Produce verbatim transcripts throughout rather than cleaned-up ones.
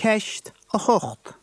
Ceist a hocht.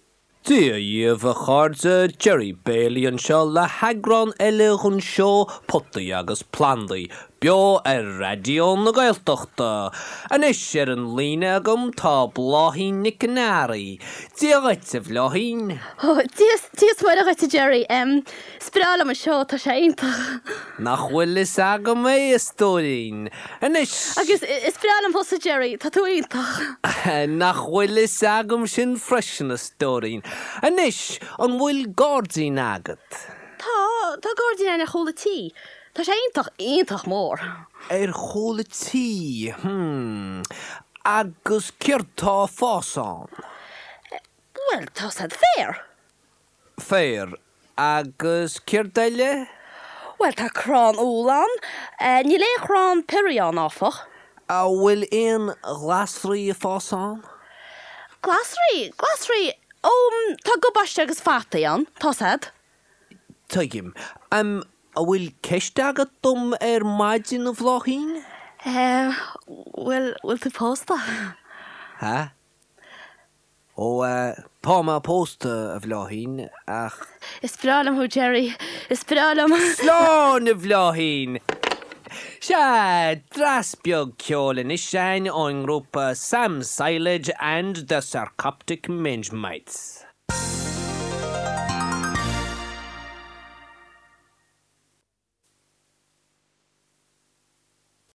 Dia dhaoibh a chairde, Jerry Bailey anseo le heagrán eile den seó Potaí agus Plandaí, beo ar Raidió na Gaeltachta. Anois ar an líne agam tá Bláithín Nic an Earraigh. Dia dhuit a Bhláithín. Ó, Dia is Muire dhuit a Jerry. Um, Is breá liom an seó tá sé iontach. Nach bhfuil fhios agam é a stóirín. Anois Agus is breá liom thusa Jerry, tá tú iontach. Nach bhfuil fhios agam sin freisin a stóirín. Anois an bhfuil gairdín agat. Tá tá gairdín ar chúl an tí. Tá sé iontach iontach mór. Ar chúl an tí hmm. Agus céard tá ag fás ann. Well tá sé féar. Féar agus céard eile? Well tá crann úll ann, uh, níl aon chrann piorraí ann áfach. An bhfuil aon ghlasraí ag fás ann? Glasraí, glasraí ó tá gabáiste agus fataí ann, tá siad. Tuigim. Um, an bhfuil ceist agat dom ar maidin a Bhláithín? Uh, bhfuil bhfuil tú pósta? Ha? Ó uh, tá mé pósta a Bhláithín ach Is breá liom thú Jerry, is breá liom. Slán a Bhláithín! Sea, dreas beag ceoil anois ón ngrúpa Sam Silage and the Sarcoptic Mange Mites.